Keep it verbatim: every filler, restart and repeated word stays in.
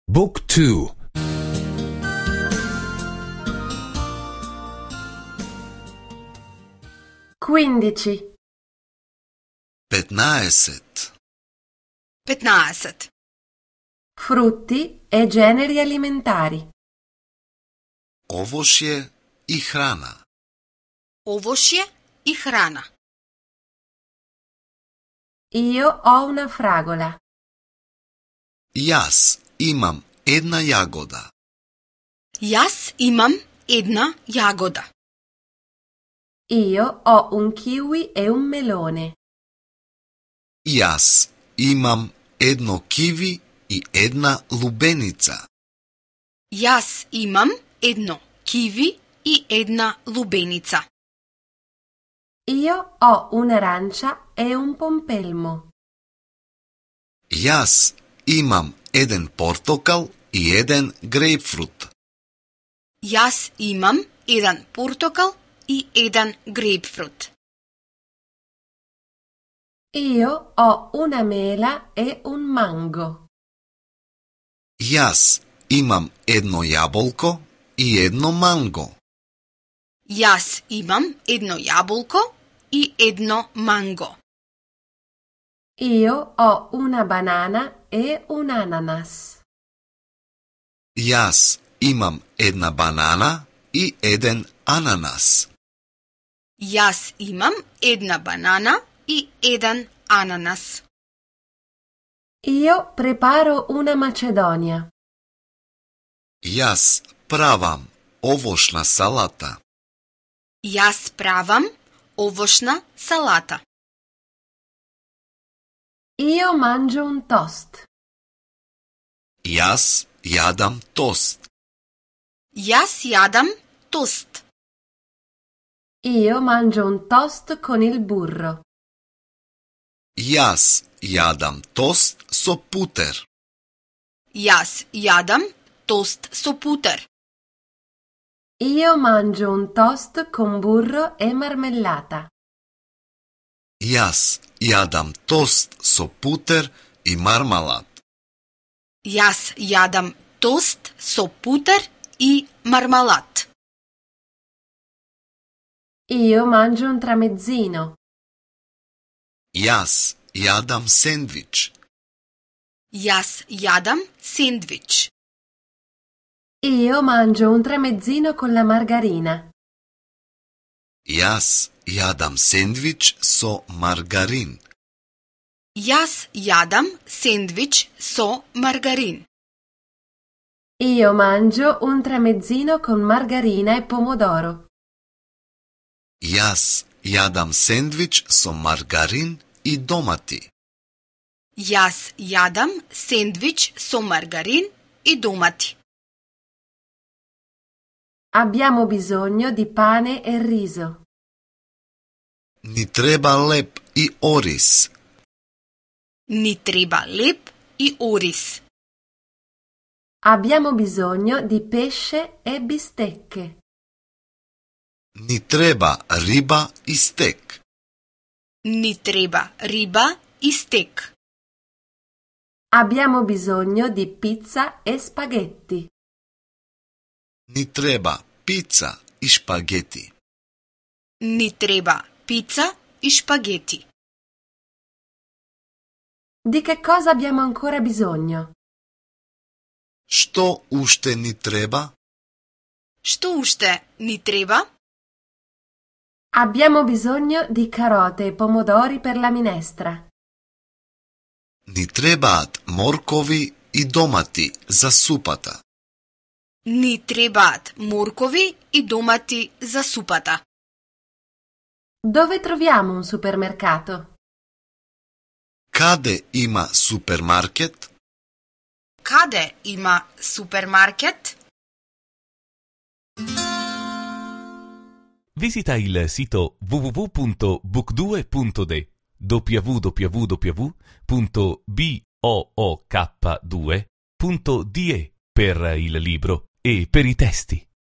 Book two. Quindici. Petnaesет. Petnaesет. Frutti e generi alimentari. Овошје и храна. Овошје и храна. Io ho una fragola. Јас имам една јагода. Јас имам една јагода. Io ho un kiwi e un melone. Јас имам едно киви и една лубеница. Јас имам едно киви и една лубеница. Io ho un'arancia e un pompelmo. Јас имам еден портокал и еден грејпфрут. Јас имам еден портокал и еден грејпфрут. Io ho una mela e un mango. Јас имам едно јаболко и едно манго. Јас имам едно јаболко и едно манго. Io ho una banana e un ananas. Јас имам една банана и еден ананас. Јас имам една банана и еден ананас. Io preparo una macedonia. Јас правам овошна салата. Јас правам овошна салата. Io mangio un toast. Јас јадам тост. Јас јадам тост. Io mangio un toast con il burro. Јас јадам тост со путер. Јас јадам тост со путер. Io mangio un toast con burro e marmellata. Јас јадам тост со путер и мармалад. Јас јадам тост со путер и мармалад. Io mangio un tramezzino. Јас јадам сендвич. Јас јадам сендвич. Io mangio un tramezzino con la margarina. Јас јадам сендвич со маргарин. Јас јадам сендвич со маргарин. Io mangio un tramezzino con margarina e pomodoro. Јас јадам сендвич со маргарин и домати. Јас јадам сендвич со маргарин и домати. Abbiamo bisogno di pane e riso. Ни треба леп и ориз. Ни треба леп и ориз. Abbiamo bisogno di pesce e bistecche. Ни треба риба и стек. Ни треба риба и стек. Abbiamo bisogno di pizza e spaghetti. Ни треба пица и шпагети. Ни треба пица и шпагети. Di che cosa abbiamo ancora bisogno? Што уште ни треба? Што уште ни треба? Abbiamo bisogno di carote e pomodori per la minestra. Ни требаат моркови и домати за супата. Ни требаат моркови и домати за супата. Dove troviamo un supermercato? Каде има супермаркет? Каде има супермаркет? Visita il sito w w w punto book due punto d w w w punto book due punto d e per il libro e per i testi.